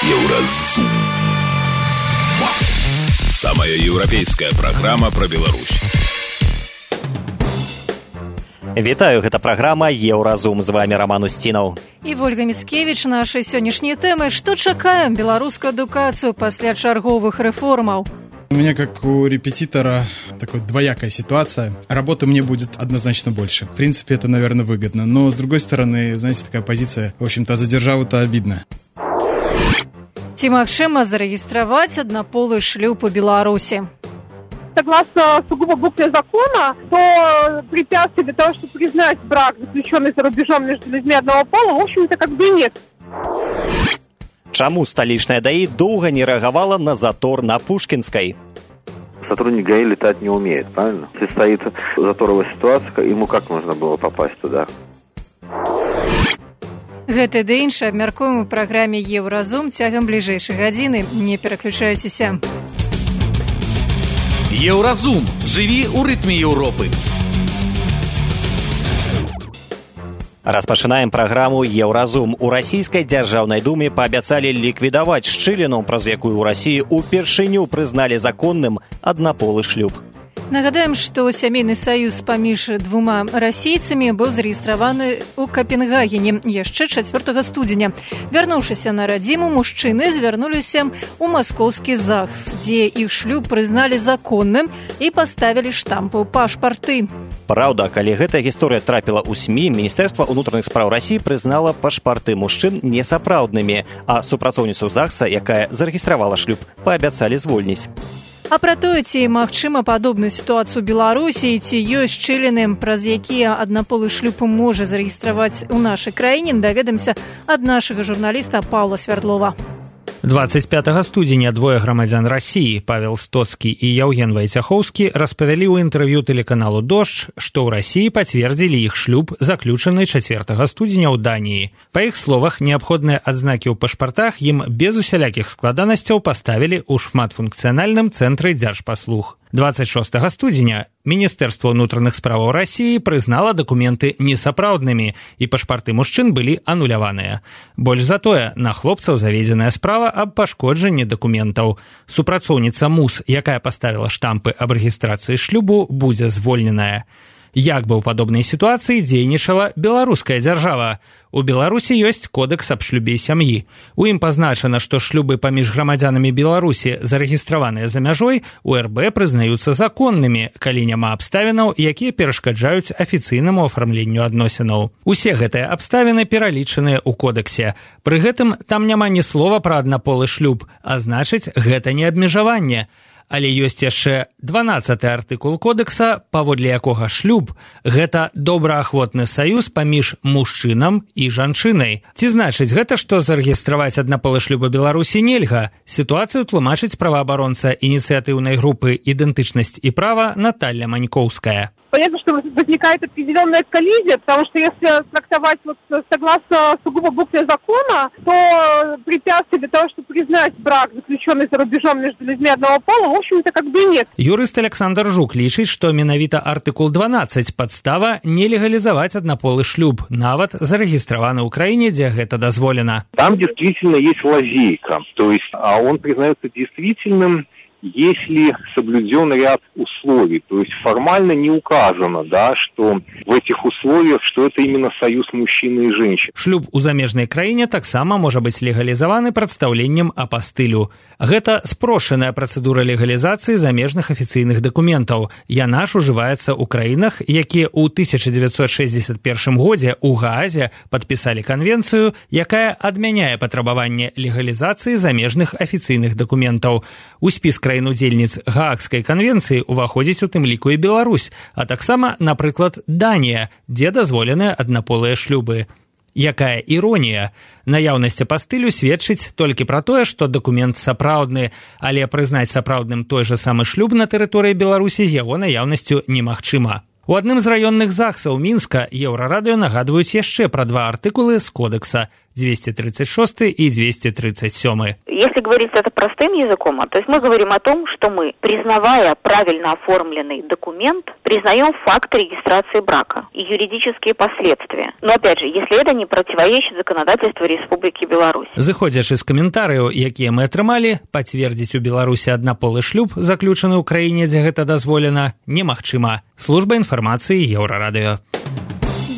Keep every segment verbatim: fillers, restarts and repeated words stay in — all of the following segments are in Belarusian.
Еўразум. Самая еўрапейская праграма пра Беларусь. Вітаю, гэта праграма Еўразум. З вами Роман Устинов. І Вольга Міцкевіч. Нашай сённяшняй тэмы: што чакаем беларускую адукацыю пасля чарговых рэформаў? У меня, как у репетитора, такая двоякая ситуация. Работы мне будет однозначно больше. В принципе, это, наверное, выгодно. Но, с другой стороны, знаете, такая позиция, в общем-то, за державу-то обидно. Ці магчыма зарэгістраваць аднаполы шлюб у Беларуси? Согласно сугубо букве закона, то препятствий для того, чтобы признать брак, заключенный за рубежом между людьми одного пола, в общем-то, как бы и нет. Чаму столичная ДАИ долго не реагировала на затор на Пушкинской? Сотрудник ГАИ летать не умеет, правильно? Если стоит заторовая ситуация, ему как можно было попасть туда? Гэта ды іншае абмяркуем у праграме Еўразум цягам бліжэйшай гадзіны. Не пераключайцеся. Еўразум. Жыві ў рытме Еўропы. Распачынаем праграму Еўразум. У расійскай дзяржаўнай думе паабяцалі ліквідаваць шчыліну, праз якую ў Расіі упершыню прызналі законным аднаполы шлюб. Нагадаем, што сямейны саюз паміж двума расійцамі быў зарэгістраваны ў Капенгагене яшчэ чацвёртага студзеня. Вярнуўшыся на радзіму, мужчыны звярнуліся ў маскоўскі ЗАГС, дзе іх шлюб прызналі законным і паставілі штампы ў пашпарты. Праўда, калі гэтая гісторыя трапіла ў СМІ, Міністэрства ўнутраных спраў Расіі прызнала пашпарты мужчын несапраўднымі, а супрацоўніцу ЗАГСа, якая зарэгістравала шлюб, паабяцалі звольніць. А пра тое, ці магчыма падобную сітуацыю ў Беларусі, ці ёсць шчыліны, праз якія аднаполы шлюб можа зарэгістраваць у нашай краіне, даведамся ад нашага журналіста Паўла Свярдлова. двадцать пятага студзеня двое грамадзян Расіі, Павел Стоцкі і Яўген Вайцяхоўскі, распавялі ў інтэрв'ю тэлеканалу «Дождж», што ў Расіі пацвердзілі іх шлюб, заключаны чацвёртага студзеня ў Даніі. Па іх словах, неабходныя адзнакі ў пашпартах ім без усялякіх складанасцяў паставілі ў шматфункцыянальным цэнтры дзяржпаслуг. двадцать шостага студзеня Міністэрства ўнутраных справаў Расіі прызнала дакументы несапраўднымі, і пашпарты мужчын былі ануляваныя. Больш за тое, на хлопцаў заведзеная справа аб пашкоджанні дакументаў. Супрацоўніца МУС, якая паставіла штампы аб рэгістрацыі шлюбу, будзе звольненая. Як бы ў падобнай сітуацыі дзейнічала беларуская дзяржава? У Беларусі ёсць кодэкс аб шлюбе і сям'і. У ім пазначана, што шлюбы паміж грамадзянамі Беларусі, зарэгістраваныя за мяжой, у эр бэ прызнаюцца законнымі, калі няма абставінаў, якія перашкаджаюць афіцыйнаму афармленню адносінаў. Усе гэтыя абставіны пералічаныя ў кодэксе. Пры гэтым там няма ні слова пра аднаполы шлюб, а значыць, гэта не абмежаванне. Але ёсць яшчэ дванаццаты артыкул кодекса, паводле якога шлюб – гэта добраахвотны саюз паміж мужчынам і жанчынай. Ці значыць гэта, што зарэгістраваць аднаполы шлюб у Беларусі нельга? Сітуацыю тлумачыць праваабаронца ініцыятыўнай групы «Ідэнтычнасць і права» Наталья Манькоўская. Понятно, что возникает определенная коллизия, потому что если трактовать вот согласно сугубо букве закона, то препятствий для того, чтобы признать брак, заключенный за рубежом между людьми одного пола, в общем-то, как бы нет. Юрыст Александр Жук лічыць, што менавіта артыкул дванаццаць падстава не легалізаваць аднаполы шлюб, нават зарэгістраваны ў краіне, дзе гэта дазволена. Там действительно есть лазейка, то есть а он признается действительным, если соблюден ряд условий, то есть формально не указано, да, что в этих условиях, что это именно союз мужчины и женщины. Шлюб у замежнай краіне таксама можа быць легалізаваны прадстаўленнем апастылю. Гэта спрошаная працэдура легалізацыі замежных афіцыйных дакументаў. Яна ж ужываецца ў краінах, якія ў тысяча дзевяцьсот шэсцьдзесят першым годзе ў Гаазе падпісалі канвенцыю, якая адмяняе патрабаванне легалізацыі замежных афіцыйных дакументаў. У спіс краін-удзельніц Гаагскай канвенцыі ўваходзіць у тым ліку і Беларусь, а таксама, напрыклад, Данія, дзе дазволеныя аднаполыя шлюбы. Якая іронія? Наяўнасць апастылю сведчыць толькі пра тое, што дакумент сапраўдны, але прызнаць сапраўдным той жа самы шлюб на тэрыторыі Беларусі з яго наяўнасцю немагчыма. У адным з раённых ЗАГСаў Мінска Еўрарадыё нагадваюць яшчэ пра два артыкулы з кодекса. двести тридцать шесть и двести тридцать семь. Если говорить это простым языком, то есть мы говорим о том, что мы, признавая правильно оформленный документ, признаем факт регистрации брака и юридические последствия. Но опять же, если это не противоречит законодательству Республики Беларусь. Зыходзячы з каментарыяў, якія мы атрымалі, пацвердзіць у Беларусі аднаполы шлюб, заключаны ў краіне, дзе гэта дазволена, немагчыма. Служба інфармацыі Еўрарадыё.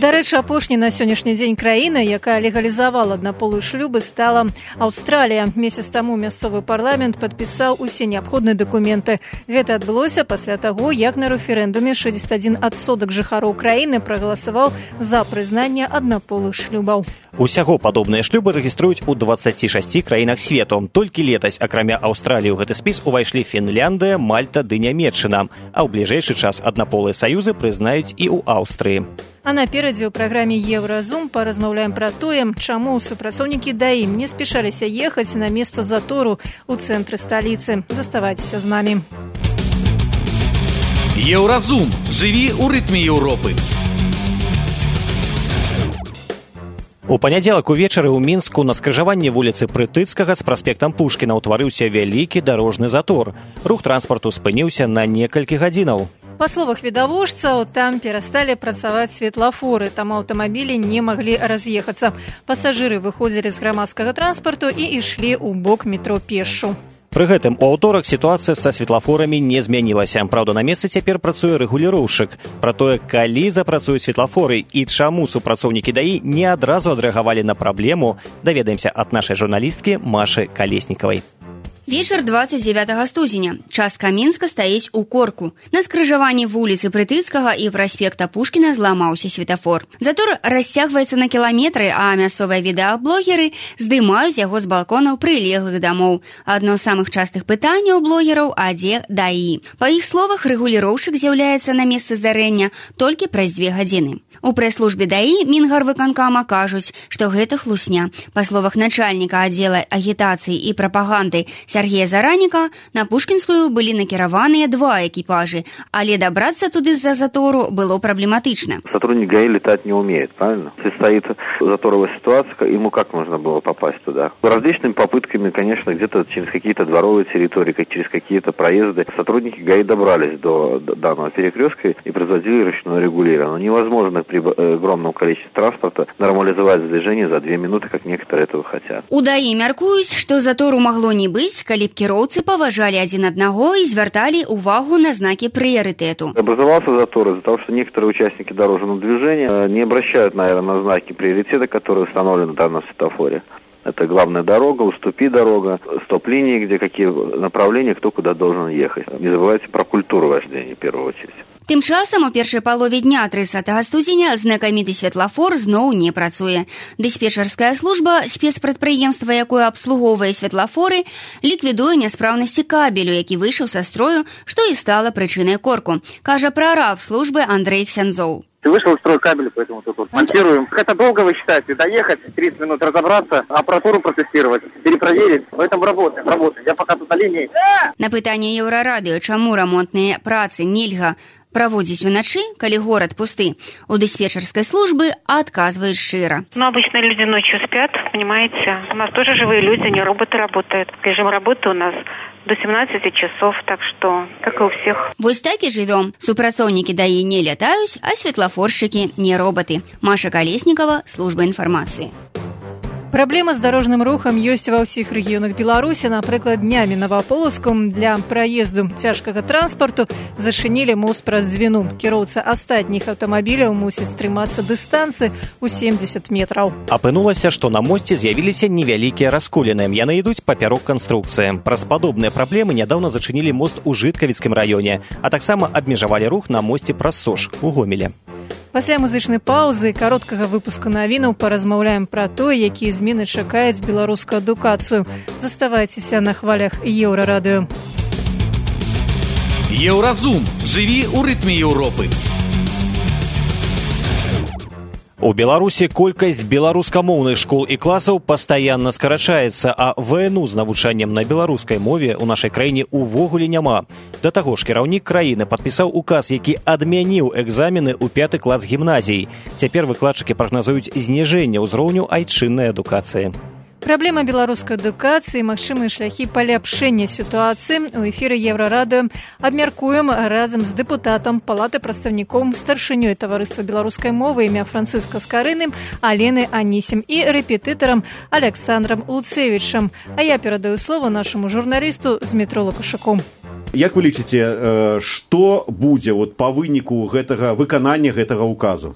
Дарэчы, апошняй на сённяшні дзень краіны, якая легалізавала аднаполыя шлюбы, стала Аўстралія. Месяц таму мясцовы парламент падпісаў усе неабходныя дакументы. Гэта адбылося пасля таго, як на рэферэндуме шэсцьдзесят адзін адсотак жыхароў краіны прагаласаваў за прызнанне аднаполых шлюбаў. Усяго падобныя шлюбы рэгіструюць у дваццаці шасці краінах свету. Толькі летась, акрамя Аўстраліі, у гэты спіс увайшлі Фінляндыя, Мальта ды Нямецчына. А ў бліжэйшы час аднаполыя саюзы прызнаюць і ў Аўстрыі. А наперадзе ў праграме «Еўразум» паразмаўляем пра тое, чаму супрацоўнікі ДАІ не спешаліся ехаць на месца затору ў цэнтры сталіцы. Заставайцеся з намі. Еўразум. Жыві ў рытме Еўропы. У панядзелак увечары ў Мінску на скрыжаванні вуліцы Прытыцкага з праспектам Пушкіна ўтварыўся вялікі дарожны затор. Рух транспарту спыніўся на некалькі гадзінаў. Па словах відавочцаў, там перасталі працаваць светлафоры, там аўтамабілі не маглі раз'ехацца. Пасажыры выходзілі з грамадскага транспарту і ішлі ў бок метро пешшу. Пры гэтым у аўторак сітуацыя са светлафорамі не змянілася. Праўда, на месцы цяпер працуе рэгуліроўшчык. Пра тое, калі запрацуюць светлафоры і чаму супрацоўнікі ДАІ не адразу адрэагавалі на праблему, даведаемся ад нашай журналісткі Машы Калеснікавай. Вечер двадцать девятого студзеня. Частка Мінска стаіць у корку. На скрыжаванні вуліцы Прытыцкага і праспекта Пушкіна зламаўся светафор. Затор расцягваецца на кіламетры, а мясцовыя відэаблогеры здымаюць яго з балконаў прылеглых дамоў. Адно з самых частых пытанняў блогераў, а дзе ДАІ. Па іх словах, рэгуліроўшчык з'яўляецца на месцы здарэння толькі праз дзве гадзіны. У прэс-службе ДАІ Мінгарвыканкама кажуць, што гэта хлусня. Па словах начальніка аддзела агітацыі і прапаганды Сергея Зараніка, на Пушкінскую былі накіраваныя два экіпажы, але дабрацца туды з-за затору было проблематично. Сотрудник ГАИ летать не умеет, правильно? Если стоит заторовая ситуация, ему как можно было попасть туда? Различными попытками, конечно, где-то через какие-то дворовые территории, через какие-то проезды, сотрудники ГАИ добрались до данного перекрестка и производили ручное регулирование. Но невозможно при огромном количестве транспорта нормализовать движение за две минуты, как некоторые этого хотят. У ДАІ мяркуюць, што затору магло не быць, калі б кіроўцы паважалі адзін аднаго и звярталі увагу на знаки приоритету. Образовался затор из-за того, что некоторые участники дорожного движения не обращают, наверное, на знаки приоритета, которые установлены в данном светофоре. Это главная дорога, уступи дорога, стоп-линии, где какие направления, кто куда должен ехать. Не забывайте про культуру вождения в первую очередь. Тым часам у першай палове дня трыццатага студзеня знакаміты светлафор зноў не працуе. Дыспетчарская служба, спецпрадпрыемства, якое абслугоўвае светлафоры, ліквідуе няспраўнасці кабелю, які выйшаў са строю, што і стала прычынай корку, кажа прараб службы Андрей Ксянзоў. Вышел из строя кабель, поэтому тут вот монтируем. Это долго, вы считаете, доехать, тридцать минут разобраться, аппаратуру протестировать, перепроверить. В этом работаем, работаем. Я пока тут на линии. На пытанне Еўрарадыё, чаму рамонтныя працы нельга праводзіць уначы, калі горад пусты, у дыспетчерской службы отказывают широ. Ну, обычно люди ночью спят, понимаете. У нас тоже живые люди, не роботы работают. Режим работы у нас до семнадцати часов, так что, как и у всех. Вось так и живем. Супрацоўнікі ДАІ не летаюць, а светлафорщики не роботы. Маша Колесникова, служба информации. Праблема з дарожным рухам ёсць ва ўсіх рэгіёнах Беларусі. Напрыклад, днямі Новополоцку для праезду цяжкага транспарту зачынілі мост праз звіну. Кіроўца астатніх аўтамабіляў мусіць трымацца дыстанцыі ў семьдесят метраў. Апынулася, што на мосце з'явіліся невялікія расколіны. Яны ідуць папярок канструкцыі. Праз падобныя праблемы нядаўна зачынілі мост у Жыткавіцкім раёне, а таксама абмежавалі рух на мосце праз Сош у Гомеле. Пасля музычнай паўзы і кароткага выпуску навінаў паразмаўляем пра тое, якія змены чакаюць беларускую адукацыю. Заставайцеся на хвалях Еўрарадыё. Еўразум. Жыві ў рытме Еўропы. У Беларусі колькасць беларускамоўных школ і класаў пастаянна скарачаецца, а ВНУ з навучаннем на беларускай мове ў нашай краіне увогуле няма. Да таго ж кіраўнік краіны падпісаў указ, які адмяніў экзамены ў пяты клас гімназій. Цяпер выкладчыкі прагназуюць зніжэнне ўзроўню айчыннай адукацыі. Праблема беларускай адукацыі, магчымыя шляхі паляпшэння сітуацыі. У эфіры Еўрарадыё абмяркуем разам з дэпутатам Палаты прадстаўнікоў, старшынёй таварыства беларускай мовы імя Францыска Скарыны Алены Анісім і рэпетытарам Александрам Луцевічам. А я перадаю слово нашаму журналісту Змітру Лукашаку. Як вы лічыце, што будзе вот па выніку гэтага выканання гэтага указу?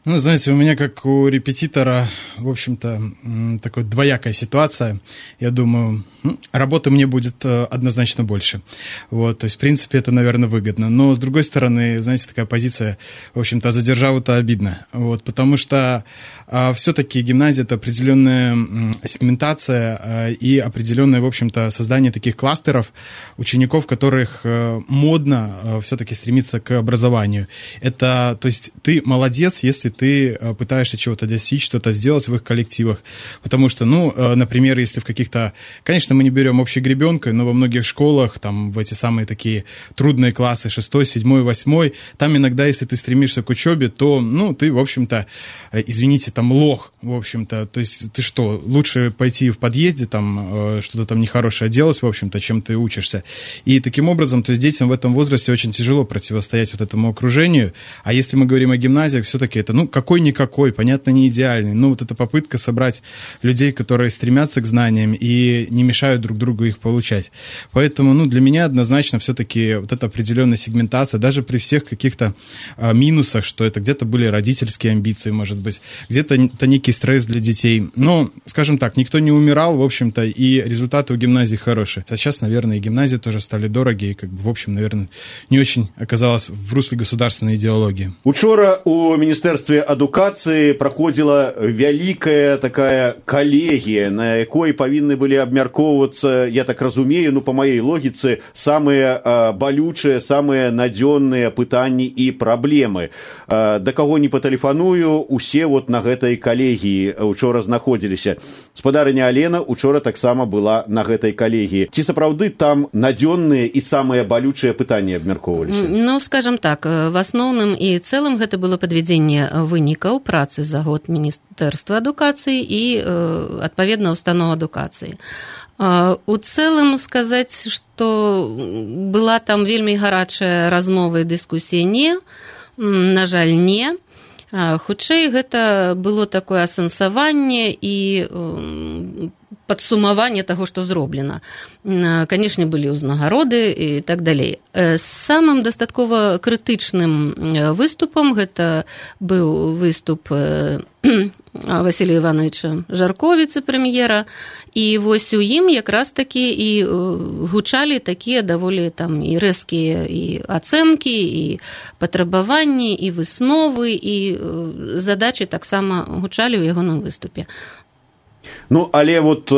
Ну, знаете, у меня, как у репетитора, в общем-то, такая двоякая ситуация. Я думаю, работы мне будет однозначно больше. Вот, то есть, в принципе, это, наверное, выгодно. Но, с другой стороны, знаете, такая позиция, в общем-то, за державу-то обидно. Вот, потому что а, все-таки гимназия – это определенная сегментация а, и определенное, в общем-то, создание таких кластеров учеников, которых а, модно а, все-таки стремиться к образованию. Это, то есть, ты молодец, если ты пытаешься чего-то достичь, что-то сделать в их коллективах. Потому что, ну, например, если в каких-то... Конечно, мы не берем общей гребенкой, но во многих школах, там, в эти самые такие трудные классы, шестой, седьмой, восьмой, там иногда, если ты стремишься к учебе, то, ну, ты, в общем-то, извините, там, лох, в общем-то. То есть ты что, лучше пойти в подъезде, там, что-то там нехорошее делать, в общем-то, чем ты учишься. И таким образом, то есть детям в этом возрасте очень тяжело противостоять вот этому окружению. А если мы говорим о гимназиях, все-таки это, ну, какой-никакой, понятно, не идеальный. Но вот эта попытка собрать людей, которые стремятся к знаниям и не мешают друг другу их получать. Поэтому, ну, для меня однозначно все-таки вот эта определенная сегментация, даже при всех каких-то а, минусах, что это где-то были родительские амбиции, может быть, где-то это некий стресс для детей. Но, скажем так, никто не умирал, в общем-то, и результаты у гимназии хорошие. А сейчас, наверное, и гимназии тоже стали дорогие, и, как бы, в общем, наверное, не очень оказалось в русле государственной идеологии. Учора у Министерства адукацыі праходзіла вялікая такая калегія, на якой павінны былі абмяркоўвацца, я так разумею, ну, па маёй логіцы, самыя а, балючыя, самыя надзённыя пытанні і праблемы. А, да каго не патэлефаную, усе вот на гэтай калегіі учора знаходзіліся. Спадарыня Алена учора таксама была на гэтай калегіі. Ці сапраўды там надзённыя і самыя балючыя пытанні абмяркоўваліся? Ну, скажем так, в асноўным і цэлым гэта было падвядзенне вынікаў працы за год Міністэрства адукацыі і, адпаведна, устаноў адукацыі. У цэлым сказаць, што была там вельмі гарачая размова і дыскусія, не, на жаль, не. Хутчэй, гэта было такое асэнсаванне і падсумаванне таго, што зроблена. Канешне, былі ўзнагароды і так далей. Самым дастаткова крытычным выступам гэта быў выступ Васілія Івановича Жарко, віцэ-прэм'ера, і вось у ім якраз такі і гучалі такія даволі там і рэзкія і ацэнкі, і патрабаванні, і высновы, і задачы таксама гучалі ў ягоным выступе. Ну, але вот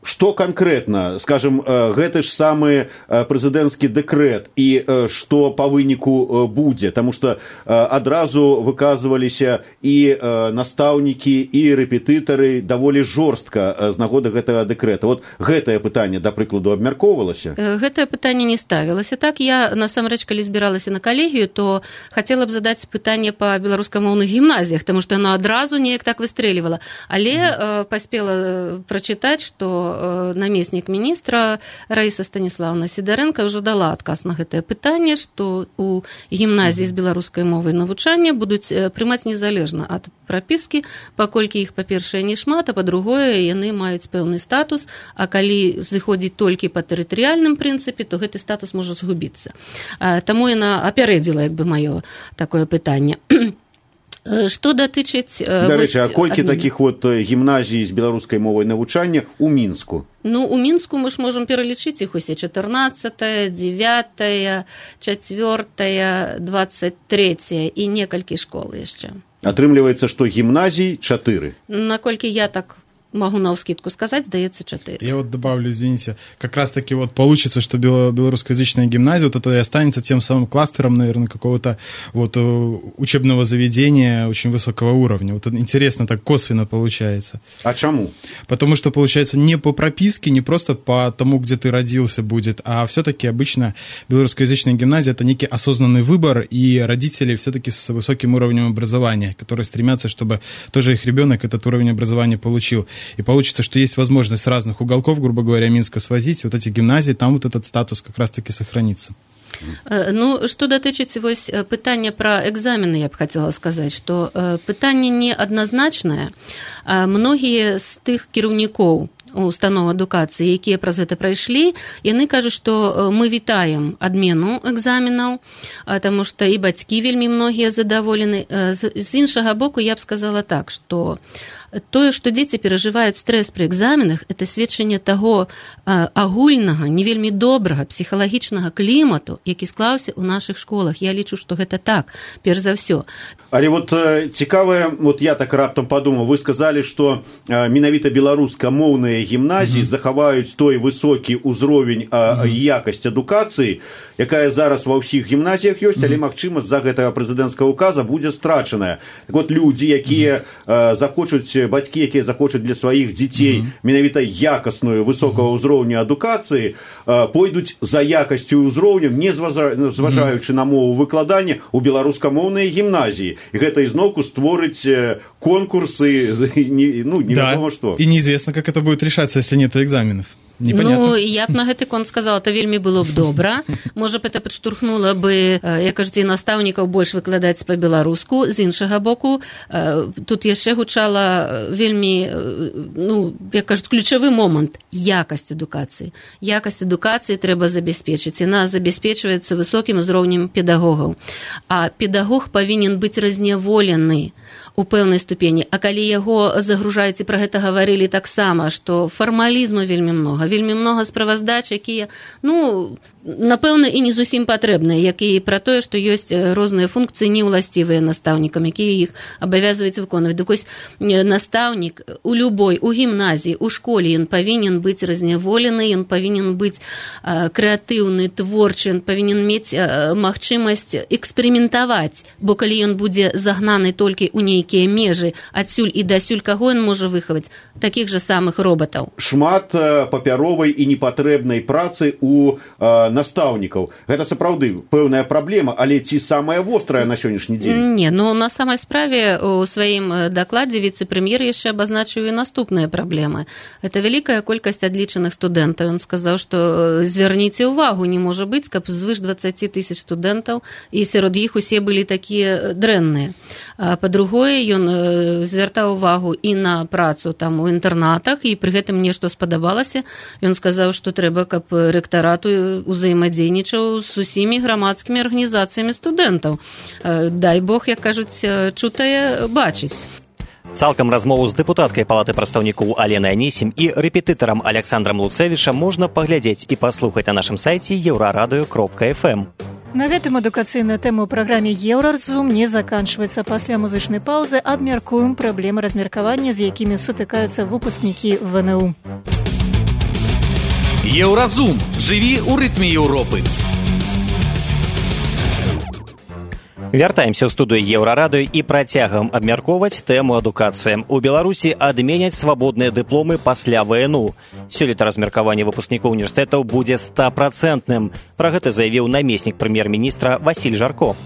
што канкрэтна, скажем, гэты ж самы прэзідэнцкі дэкрэт і што па выніку будзе, таму што адразу выказваліся і настаўнікі, і рэпетытары даволі жорстка з нагоды гэтага дэкрэта. Вот гэтае пытанне, да прыкладу, абмяркоўвалася? Гэтае пытанне не ставілася. Так, я, насамрэч, калі збіралася на калегію, то хацела б задаць пытанне па беларускамоўных гімназіях, таму што яно адразу неяк так выстрэлівала. Але паспела прачытаць, што намеснік міністра Раіса Станіславна Сідарэнка ўжо дала адказ на гэтае пытанне, што у гімназіі з беларускай мовай навучання будуць прымаць незалежна ад прапіскі, паколькі іх, па-першае, не шмат, а па-другое, яны маюць пэўны статус, а калі зыходзіць толькі па тэрытарыяльным прынцыпе, то гэты статус можа згубіцца. Таму яна апярэдзіла, як бы, маё такое пытанне. Што датычыць... Дарэчы, а колькі адмін... такіх вот гімназій з беларускай мовай навучання ў Мінску? Ну, у Мінску мы ж можам пералічыць іх усе чатырнаццатая, дзевятая, чацвёртая, дваццаць трэцяя і некалькі школ яшчэ. Атрымліваецца, што гімназій чатыры. Наколькі я так могу навскидку сказать, здаецца, чатыры. Я вот добавлю, извините, как раз-таки вот получится, что белорусскоязычная гимназия вот это и останется тем самым кластером, наверное, какого-то вот учебного заведения очень высокого уровня. Вот интересно, так косвенно получается. А чему? Потому что, получается, не по прописке, не просто по тому, где ты родился будет, а все-таки обычно белорусскоязычная гимназия – это некий осознанный выбор, и родители все-таки с высоким уровнем образования, которые стремятся, чтобы тоже их ребенок этот уровень образования получил. И получится, что есть возможность с разных уголков, грубо говоря, Минска свозить, вот эти гимназии, там вот этот статус как раз-таки сохранится. Ну, што датычыць вось пытання пра экзамены, я б хацела сказаць, што пытанне неадназначнае. Многія з тых кіраўнікоў установ адукацыі, якія праз гэта прайшлі, яны кажуць, што мы вітаем адмену экзаменаў, таму што і бацькі вельмі многія задаволены. З іншага боку, я б сказала так, што тое, што дзеці перажываюць стрэс пры экзаменах, это сведчанне таго агульнага, не вельмі добрага псіхалагічнага клімату, які склаўся ў нашых школах. Я лічу, што гэта так, перш за ўсё. Але вот цікавае, вот я так раптам падумаў, вы сказалі, што менавіта беларускамоўныя гімназіі mm-hmm. захаваюць той высокі ўзровень mm-hmm. якасць адукацыі, якая зараз ва ўсіх гімназіях ёсць, mm-hmm. але, магчыма, з-за гэтага прэзідэнцкага указа будзе страчаная. Так вот, людзі, якія mm-hmm. захочуць, бацькі, якія захочуць для сваіх дзяцей mm-hmm. менавіта якасную, высокага ўзроўню адукацыі, пойдуць за якасцю ўзроўнем, не зважаючы mm-hmm. на мову выкладання ў беларускамоўныя гімназіі. І гэта ізноўку створыць конкурсы, ну, невядома да. што. И неизвестно, как это будет решаться, если нет экзаменов. Непонятно. Ну, я б на гэты конт сказала, то вельмі было б добра. Можа б, это падштурхнула бы, як кажуць, і настаўнікаў больш выкладаць па-беларуску. З іншага боку, тут яшчэ гучала вельмі, ну, як кажуць, ключавы момант – якасць адукацыі. Якасць адукацыі трэба забяспечыць. Яна забяспечваецца высокім узроўнем педагогаў. А педагог павінен быць разняволены у пэўнай ступені. А калі яго загружаюць, і пра гэта гаварылі таксама, што фармалізму вельмі многа, вельмі многа справаздач, якія, ну, напэўна, і не зусім патрэбныя, як і пра тое, што ёсць розныя функцыі неўласцівыя настаўнікам, якія іх абавязваюць выконваць. Так вось, настаўнік у любой, у гімназіі, у школе, ён павінен быць разняволены, ён павінен быць крэатыўны, творчы, ён павінен мець магчымасць эксперыментаваць, бо калі ён будзе загнаны толькі ў нейкія межы, адсюль і дасюль, каго ён можа выхаваць? Такіх жа самых робатаў. Шмат папяровай і непатрэбнай працы у э, настаўнікаў. Гэта сапраўды пэўная праблема, але ці самая вострая на сённяшні дзень? Не, ну на самай справе у сваім дакладзе віцэ-прэм'ер яшчэ абазначыў і наступныя праблемы. Это вялікая колькасць адлічаных студэнтаў. Ён сказаў, што звярніце ўвагу, не можа быць, каб звыш дваццаць тысяч студэнтаў, і сярод іх усе былі такія дрэнныя. Па-другое, ён звяртаў увагу і на працу там у інтэрнатах, і пры гэтым мне што спадабалася, ён сказаў, што трэба, каб рэктарат узаемадзейнічаў з усімі грамадскімі арганізацыямі студэнтаў. Дай Бог, як кажуць, чутае бачыць. Цалкам размову з дэпутаткай палаты прадстаўнікоў Аленай Анісім і рэпетытарам Александрам Луцэвічам можна паглядзець і паслухаць на нашым сайце еўрарадыё кропка эф эм. На гэтым адукацыйная тэма ў праграме «Еўразум» не заканчваецца. Пасля музычнай паўзы абмяркуем праблемы размеркавання, з якімі сутыкаюцца выпускнікі вэ эн у. Еўразум. Жыві ў рытме Еўропы. Вяртаемся ў студыю Еўрарадыё і працягам абмяркоўваць тэму адукацыі. У Беларусі адменяць свабодныя дыпломы пасля вэ эн у. Сёлета размеркаванне выпускнікоў універсітэтаў будзе стапрацэнтным. Пра гэта заявіў намеснік прэм'ер-міністра Васіль Жарко.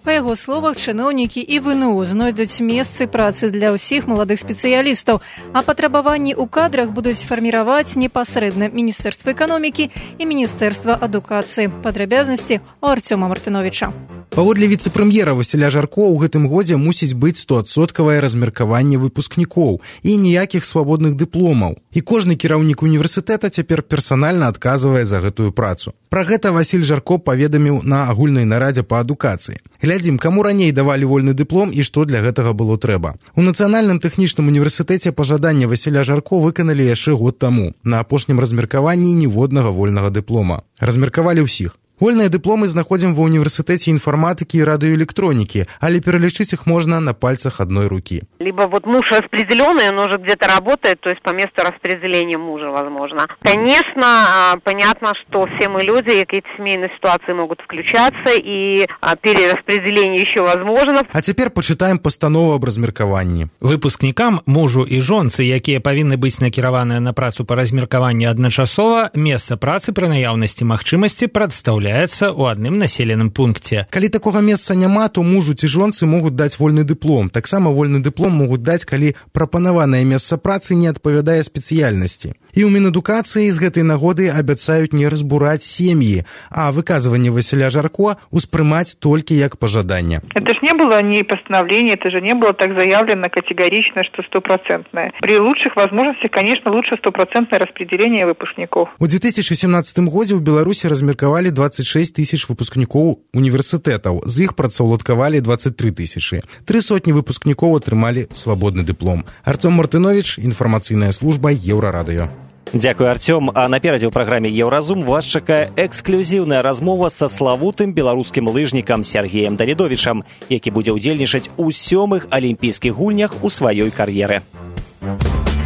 Па яго словах, чыноўнікі і вэ эн у знойдуць месцы працы для ўсіх маладых спецыялістаў, а патрабаванні ў кадрах будуць фарміраваць непасрэдна Міністэрства эканомікі і Міністэрства адукацыі. Падрабязнасці у Арцёма Мартыновіча. Паводле віцэ-прэм'ера Васіля Жарко, у гэтым годзе мусіць быць стоадсоткавае размеркаванне выпускнікоў і ніякіх свабодных дыпломаў. І кожны кіраўнік універсітэта цяпер персанальна адказвае за гэтую працу. Пра гэта Васіль Жарко паведаміў на агульнай нарадзе па адукацыі. Глядзім, каму раней давалі вольны дыплом і што для гэтага было трэба. У Нацыянальным тэхнічным універсітэце пажаданне Васіля Жарко выканалі яшчэ год таму. На апошнім размеркаванні ніводнага вольнага дыплома. Размеркавалі ўсіх. Вольныя дыпломы знаходзім ва універсітэце інфарматыкі і радыёэлектронікі, але пералічыць іх можна на пальцах одной руки. Либо вот муж распределенный, он уже где-то работает, то есть по месту распределения мужа, возможно. Конечно, понятно, что все мы люди, и какие-то семейные ситуации могут включаться, и перераспределение еще возможно. А цяпер пачытаем пастанову аб размеркаванні. Выпускнікам, мужу і жонцы, якія павінны быць накіраваныя на працу па размеркаванні адначасова, месца працы пры наяўнасці магчымасці прадстаўляецца ў адным населеным пункце. Калі такога месца няма, то мужу ці жонцы могуць даць вольны дыплом. Таксама вольны дыплом могуць даць, калі прапанаванае месца працы не адпавядае спецыяльнасці. І ў Мінадукацыі з гэтай нагоды абяцаюць не разбураць сем'і, а выказванне Васіля Жарко успрымаць толькі як пожаданне. Это ж не было ни постановления, это же не было так заявлено категорично, что стопроцентное. При лучших возможностях, конечно, лучше стопроцентное распределение выпускников. У две тысячи семнадцатым годзе ў Беларусі размеркавалі двадцать шесть тысяч выпускнікоў універсітэтаў, з іх працаўладкавалі двадцать три тысячи. Тры сотні выпускнікоў атрымалі свабодны дыплом. Артём Мартынович, інфармацыйная служба Еўрарадыё. Дзякуй, Артём. А наперадзе ў праграме «Еўразум» вас чакае эксклюзіўная размова са славутым беларускім лыжнікам Сергеем Далідовічам, які будзе ўдзельнічаць у сёмых алімпійскіх гульнях у сваёй кар'еры.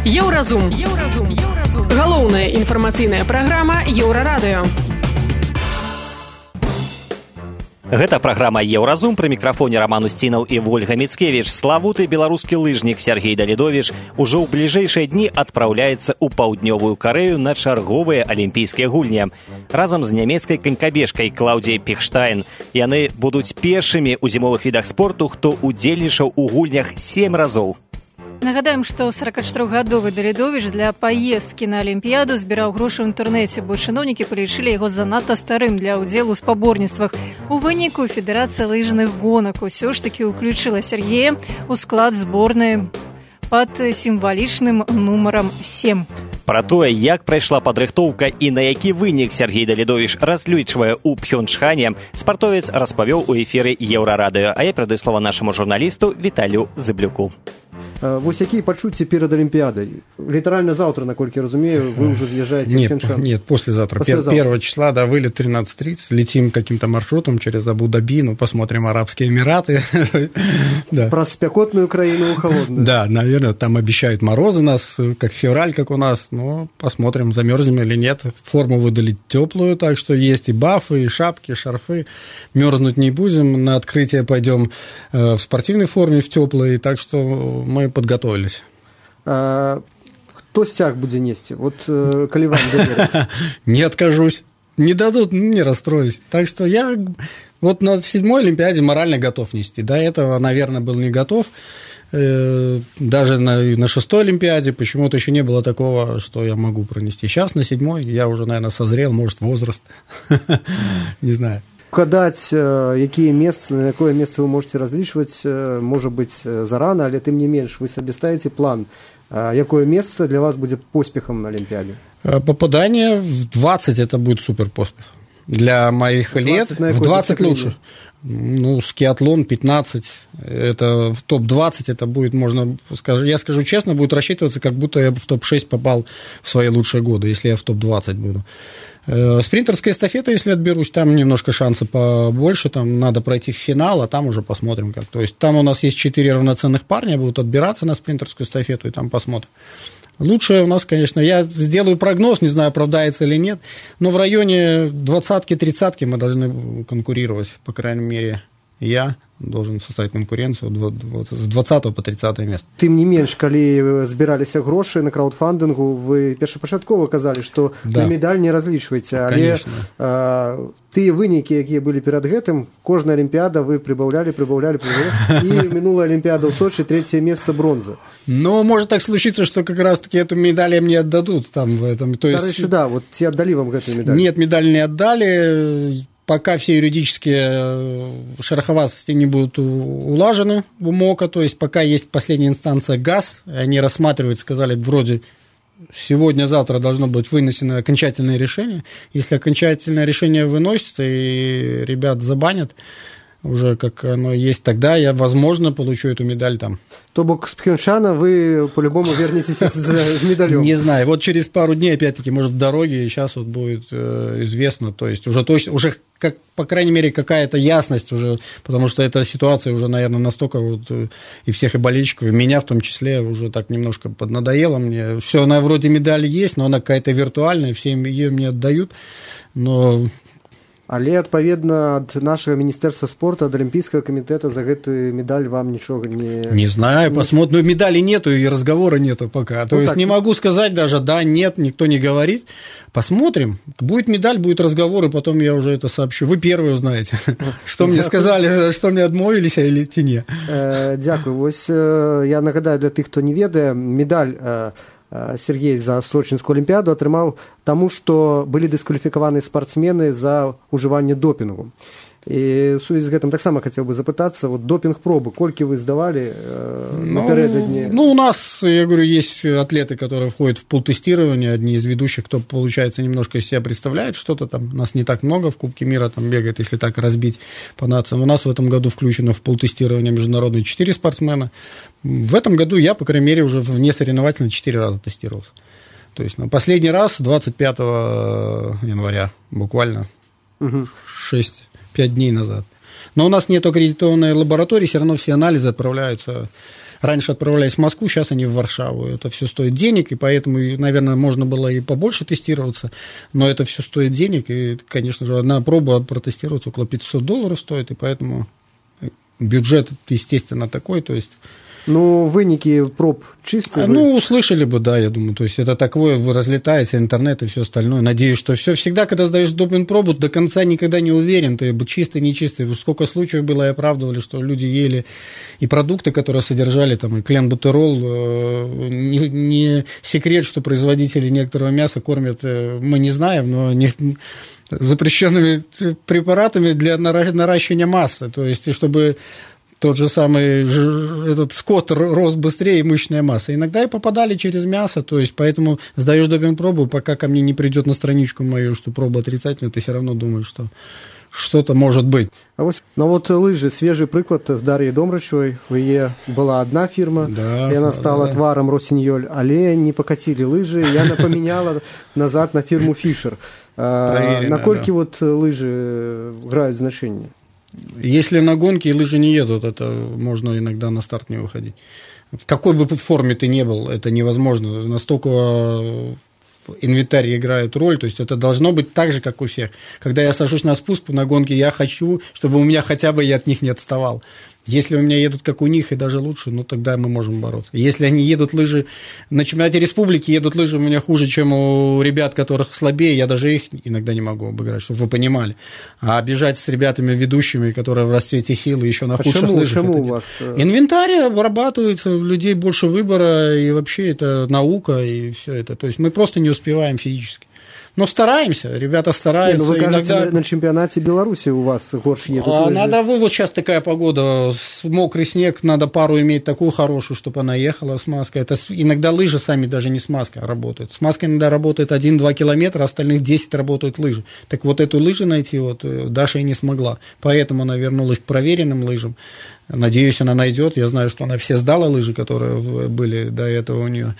Еўразум. Еўразум. Еўразум. Галоўная інфармацыйная праграма Еўрарадыё. Гэта праграма «Еўразум», пры мікрафоне Раман Усцінаў і Вольга Міцкевіч. Славуты беларускі лыжнік Сергей Далідовіч ужо ў бліжэйшыя дні адпраўляецца ў паўднёвую Карэю на чарговыя алімпійскія гульні. Разам з нямецкай канькабежкай Клаўдзіяй Пехштайн. Яны будуць першымі ў зімовых відах спорту, хто удзельнічаў у гульнях сем разоў. Нагадаем, што сорокачатырохгадовы Далідовіч для паездкі на Алімпіяду збіраў грошы ў інтэрнэце, бо чыноўнікі палічылі яго занадта старым для ўдзелу ў спаборніцтвах. У выніку Федэрацыя лыжных гонак усё ж такі ўключыла Сергея ў склад зборнай пад сімвалічным нумарам сем. Пра тое, як прайшла падрыхтоўка і на які вынік Сергей Далідовіч разлічвае ў Пхёнчхане, спартовец распавёў у эфіры Еўрарадыё, а я перадаю слова нашаму журналісту Віталію Зыблюку. Вось якія пачуцці перад Олимпиадой? Литерально завтра, наколькі разумею, вы уже съезжаете нет, в Пхенчхан? Нет, послезавтра. послезавтра. Первого числа, да, вылет тринадцать тридцать. Летим каким-то маршрутом через Абу-Даби, ну, посмотрим Арабские Эмираты. Да. Про спекотную краину холодную. Да, наверное, там обещают морозы нас, как февраль, как у нас. Но посмотрим, замерзнем или нет. Форму выдали теплую, так что есть и бафы, и шапки, и шарфы. Мерзнуть не будем. На открытие пойдем в спортивной форме, в теплой. Так что мы подготовились. А, кто стяг будет нести? Вот э, коли вам доверить? Не откажусь. Не дадут, не расстроюсь. Так что я вот на седьмой Олимпиаде морально готов нести. До этого, наверное, был не готов. Э, даже на, на шестой Олимпиаде почему-то еще не было такого, что я могу пронести. Сейчас на седьмой я уже, наверное, созрел, может, возраст. Не знаю. Гадаць, якія месцы, на якое месца вы можете разлічваць, можа быць зарана, але тым не менш вы сабе ставіце план, якое месца для вас будзе поспехам на Олимпиаде? Попадание в двадцать это будет супер поспех. Для моих лет в двадцать лучше. Ну, скиатлон пятнадцать, это в топ двадцать, это будет, можно, скажу, я скажу честно, будет рассчитываться, как будто я в топ шесть попал в свои лучшие годы, если я в топ двадцать буду. Спринтерская эстафета, если отберусь, там немножко шансы побольше, там надо пройти в финал, а там уже посмотрим как. То есть там у нас есть четыре равноценных парня, будут отбираться на спринтерскую эстафету, и там посмотрим. Лучше у нас, конечно, я сделаю прогноз, не знаю, оправдается или нет, но в районе двадцатки-тридцатки мы должны конкурировать, по крайней мере, я должен составить конкуренцию с двадцатого по тридцатое место. Тым не менш, калі збіраліся грошы на краўдфандынгу, вы першапачаткова казалі, што да. На медаль не разлічваеце, але а, тыя вынікі, якія былі перад гэтым, кожная Олимпиада вы прибавляли, прибавляли, прибавляли, и минулая Олимпиада в Сочи, третье место бронза. Ну, может так случиться, что как раз-таки эту медаль мне отдадут там в этом. То есть... Короче, да, вот те отдали вам эту медаль? Нет, медаль не отдали. Пока все юридические шероховатости не будут улажены в УМОКа, то есть пока есть последняя инстанция ГАЗ, они рассматривают, сказали, вроде сегодня-завтра должно быть вынесено окончательное решение. Если окончательное решение выносится и ребят забанят, уже как оно есть, тогда я, возможно, получу эту медаль там. То бок с Пхенчана вы по-любому вернетесь с медалем. Не знаю, вот через пару дней, опять-таки, может, в дороге, и сейчас вот будет э, известно, то есть уже точно, уже, как, по крайней мере, какая-то ясность уже, потому что эта ситуация уже, наверное, настолько вот и всех и болельщиков, и меня в том числе, уже так немножко поднадоело мне. Все, она вроде медали есть, но она какая-то виртуальная, все ее мне отдают, но... Але, адпаведна, ад нашага міністэрства спорта, ад Олимпийского комитета за гэтую медаль вам ничего не... Не знаю, посмотрим. Ну, медали нету, и разговора нету пока. Ну, то есть, так... не могу сказать даже, да, нет, никто не говорит. Посмотрим. Будет медаль, будет разговор, и потом я уже это сообщу. Вы первые узнаете, что мне сказали, что мне адмовились, или не. Дякую. Вось я нагадаю для тых, хто не ведае, медаль Сергей за Сочинскую Олимпиаду атрымаў таму, што былі дыскваліфікаваны спартсмены за ўжыванне допінгу. І в сувязі з гэтым таксама хацеў бы запытацца, вот допинг-пробы, колькі вы сдавали э, ну, напередодні? Ну, у нас, я говорю, есть атлеты, которые входят в пултестирование, одни из ведущих, кто, получается, немножко из себя представляет что-то там, нас не так много в Кубке мира там бегает, если так разбить по нациям. У нас в этом году включено в пултестирование международные четыре спортсмена. В этом году я, по крайней мере, уже вне соревновательно четыре раза тестировался. То есть, ну, последний раз двадцать пятого января, буквально угу. шесть пять дней назад. Но у нас нет аккредитованной лаборатории, все равно все анализы отправляются. Раньше отправлялись в Москву, сейчас они в Варшаву. Это все стоит денег, и поэтому, наверное, можно было и побольше тестироваться, но это все стоит денег, и, конечно же, одна проба протестироваться около пятьсот долларов стоит, и поэтому бюджет, естественно, такой, то есть... Ну, вынікі проб чистые. А, ну, услышали бы, да, я думаю. То есть это такое разлетается, интернет и все остальное. Надеюсь, что все всегда, когда сдаешь допинг-пробу, до конца никогда не уверен, ты чистый, нечистый. Сколько случаев было и оправдывали, что люди ели и продукты, которые содержали там и кленбутерол. Не, не секрет, что производители некоторого мяса кормят, мы не знаем, но не, запрещенными препаратами для наращивания массы. То есть, чтобы тот же самый этот скот рос быстрее, и мышечная масса. Иногда и попадали через мясо, то есть поэтому сдаешь допинг-пробу, пока ко мне не придет на страничку мою, что проба отрицательная, ты все равно думаешь, что что-то может быть. А вот, ну вот лыжи, свежий приклад с Дарьей Домрачевой. У нее была одна фирма, да, и она стала да. тваром Росиньоль, але не покатили лыжи, я напоміняла назад на фирму Фишер. Наколькі да. вот лыжи играют значение? Если на гонке лыжи не едут, это можно иногда на старт не выходить. В какой бы форме ты ни был, это невозможно. Настолько инвентарь играет роль, то есть это должно быть так же, как у всех. Когда я сажусь на спуск на гонке, я хочу, чтобы у меня хотя бы я от них не отставал. Если у меня едут как у них и даже лучше, ну тогда мы можем бороться. Если они едут лыжи на чемпионате республики, едут лыжи у меня хуже, чем у ребят, которых слабее, я даже их иногда не могу обыграть, чтобы вы понимали. А бежать с ребятами ведущими, которые в расцвете силы, еще на а худших чему, лыжах. Чему у вас? Инвентарь обрабатывается, у людей больше выбора, и вообще это наука, и все это. То есть мы просто не успеваем физически. Но стараемся, ребята стараются. Не, ну вы иногда... кажете, на чемпионате Беларуси у вас горш едут а, лыжи. Надо, вы, вот сейчас такая погода, мокрый снег, надо пару иметь такую хорошую, чтобы она ехала с маской. Это иногда лыжи сами даже не с маской работают. С маской иногда работает один-два километра, остальных десять работают лыжи. Так вот эту лыжу найти вот Даша и не смогла. Поэтому она вернулась к проверенным лыжам. Надеюсь, она найдет. Я знаю, что она все сдала лыжи, которые были до этого у нее.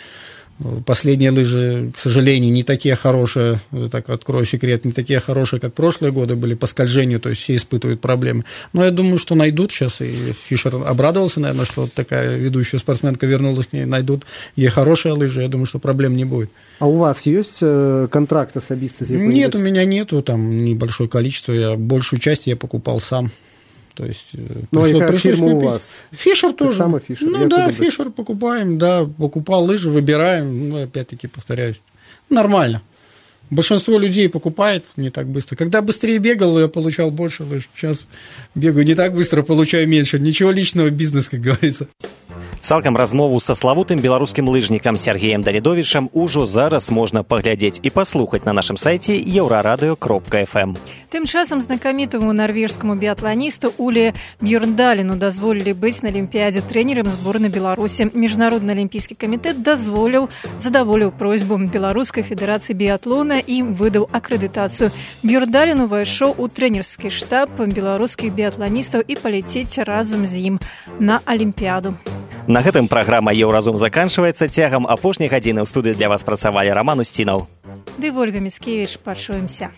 Последние лыжи, к сожалению, не такие хорошие, так открою секрет, не такие хорошие, как прошлые годы были по скольжению, то есть все испытывают проблемы. Но я думаю, что найдут сейчас, и Фишер обрадовался, наверное, что вот такая ведущая спортсменка вернулась к ней, найдут ей хорошие лыжи, я думаю, что проблем не будет. А у вас есть контракт особисто? Нет, у меня нету, там небольшое количество, я большую часть я покупал сам. То есть, ну, пришло, и как фирма у вас? Фишер тоже. Само Фишер. Ну, я да, Фишер покупаем, да, покупал лыжи, выбираем, ну, опять-таки, повторяюсь, нормально. Большинство людей покупает не так быстро. Когда быстрее бегал, я получал больше лыж. Сейчас бегаю не так быстро, получаю меньше. Ничего личного, бизнес, как говорится. Цалкам размову са славутым беларускім лыжнікам Сергеем Давідовічам ужо зараз можна паглядзець і паслухаць на нашым сайце еўрарадыё кропка эф эм. Тым часам знакамітаму нарвежскаму біятланісту Уле Бьёрндаліну дазволілі быць на Алімпіядзе трэнерам зборнай Беларусі. Міжнародны алімпійскі камітэт дазволіў, задаволіў просьбу Беларускай федэрацыі біятлона і выдаў акрэдытацыю. Бьёрндалін увайшоў у трэнерскі штаб беларускіх біятланістаў і паляцець разам з ім на Алімпіяду. На гэтым праграма «Еўразум» заканчваецца. Цягам апошняй гадзіны ў студыі для вас працавалі Раман Усцінаў. Ды Вольга Міцкевіч. Пачуемся.